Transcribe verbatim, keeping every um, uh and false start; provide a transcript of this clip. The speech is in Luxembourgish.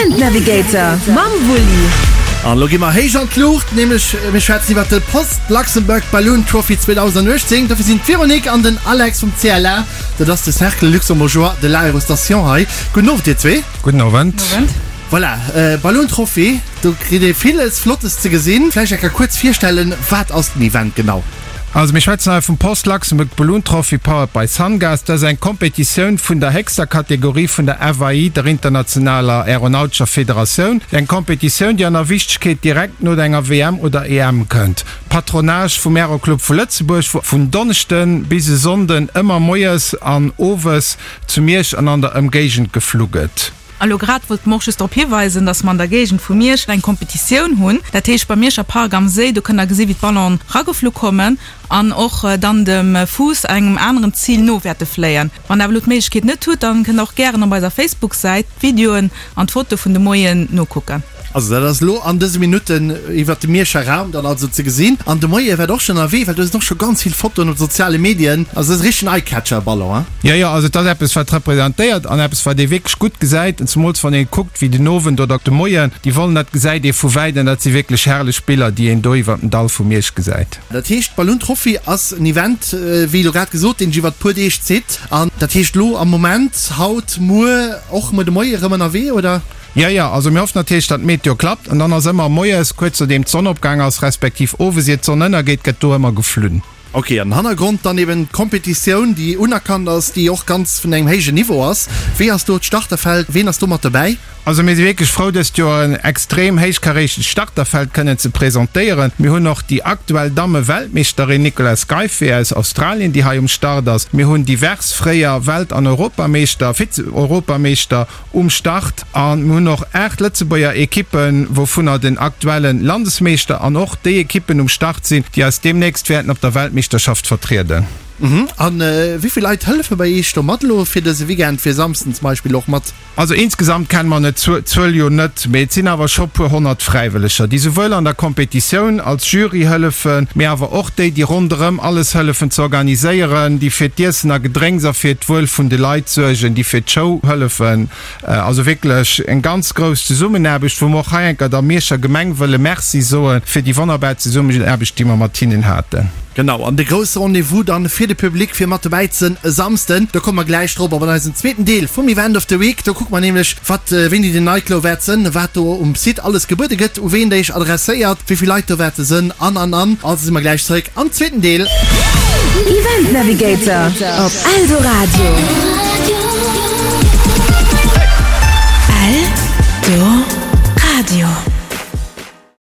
Event Navigator mam Wulli. An elo gi mer héich an d'Luucht, nämlech mir schwätzen iwwert de Post Luxembourg Balloon Trophy zweedausenduechtzéng. Dofir sinn d'Véronique an den Alex vum C L A, dat ass de Cercle Luxembourgeois de l'Aérostation hei. Gudden Owend dir zwee. Gudden Owend. Owend. Voilà, Balloon Trophy, do kritt ee villes Flottes ze gesinn. Vläicht eng Kéier kuerz virstellen, wat ass den Event genau? Also mir schwätzen hei vum Post Luxembourg Balloon Trophy powered by Sungas. Dat ass eng Kompetitioun vun der héchster Kategorie vun der F A I, der internationaler aeronautescher Federatioun. Eng Kompetitioun, déi an der Wichtegkeet direkt no enger W M oder E M kënnt. Patronage vum Aeroclub vu Lëtzebuerg, wou vun Donneschden bis e Sonnden ëmmer moies an owes zu Miersch an an der Ëmgéigend geflu gëtt. A lo grad wollt mer och just drop hiweisen, dass mer an der Géigend vu Miersch eng Kompetitioun hunn. Dat heescht beim Mierscher Park am Séi, do kënnt der gesi wéi d'Ballonen rageflu kommen an och dann dem Fuuss engem aneren Zil no wäerte fléien. Wann der awer elo d'Méiglechkeet net hutt, dann kënnt der och gären op eiser Facebook-Säit d'Videoen an d'Fotoe vun de Moien nokucken. Also dat ass elo an dëse Minutten iwwert de Mierscher Raum dann also ze gesinn. An de Moie wäert och schonn ënnerwee, well do sinn och scho ganz vill Fotoen op de soziale Medien. Also dat ass e richtegen Eye-Catcher, Ballon, hein? Jo, jo, also et ass eppes wat representéiert an eppes wat ee wierklech gutt gesäit, an zemools wann ee kuckt wéi den Owend oder de Moien déi Wollen, dat gesäit ee vu wäit an dat si wierklech herrlech Biller, déi een do iwwert den Dall vu Miersch gesäit. Dat heescht, Balloon Trophy ass en Event, wéi elo grad gesot, deen sech iwwert puer Deeg zitt. An dat heescht elo am Moment, haut, muer, och muer de Moie erëm ënnerwee, oder? Jo, jo, also mir hoffen natierlech, datt d'Meteo klappt an dann ass ëmmer moies, kuerz nodeem d'Sonn opgaang ass, respektiv owes ier d'Sonn ënnergeet, gëtt do ëmmer geflunn. Ok, an Hannergrond dann eben d'Kompetitioun, déi unerkannt ass, déi och ganz vun engem héijen Niveau ass. Wéi ass do d'Starterfeld, ween ass do mat dobäi? Also mir si wierklech frou, dëst Joer en extrem héichkarätegt Starterfeld kënnen ze presentéieren. Mir hunn och déi aktuell Damme-Weltmeeschterin Nicola Scaife aus Australien, déi hei um Start ass. Mir hunn divers fréier Welt an Europameeschter, Vize-Europameeschter um Start a mir hunn och aacht Lëtzebuerger Ekippen, wouvunner den aktuelle Landesmeeschter an och déi Ekippen um Start sinn, déi eis deemnächst wäerten op der Weltmeeschterschaft vertrieden. A wéi vill Leit hëllefe bei Iech do mat elo fir dëse Weekend, fir Samsden zum Beispill och mat? Also insgesamt kenne mer net d'Zuel jo net, mee et sinn awer scho puer honnert Fräiwëlleger, déi souwuel an der Kompetitioun als Jury hëllefen, mee awer och déi, déi ronderëm alles hëllefen ze organiséieren, déi fir d'Iessen a Gedrénks a fir d'Wuel vun de Leit suergen, déi fir d'Show hëllefen. Also wierklech eng ganz grouss Zesummenaarbecht, wou mer och hei enker der Mierscher Gemeng wëlle Merci soe fir déi wonnerbar Zesummenaarbecht, déi mer mat hinnen haten. Genau, an de grousse Rendez-vous dann fir de Public fir mat dobäi ze sinn e Samsden, do komme mer gläich drop, op an eisem zweeten Deel vum Event of the Week. Do kucke mer nämlech, wat, wéini den Nightglow wäert sënn, wat do um Site alles gebuede gëtt, u ween der iech adresséiert, wéi vill Leit do wäerte sënn an, an, an. Also si mer gläich zeréck am zweeten Deel. Event Navigator op Eldoradio. Eldoradio.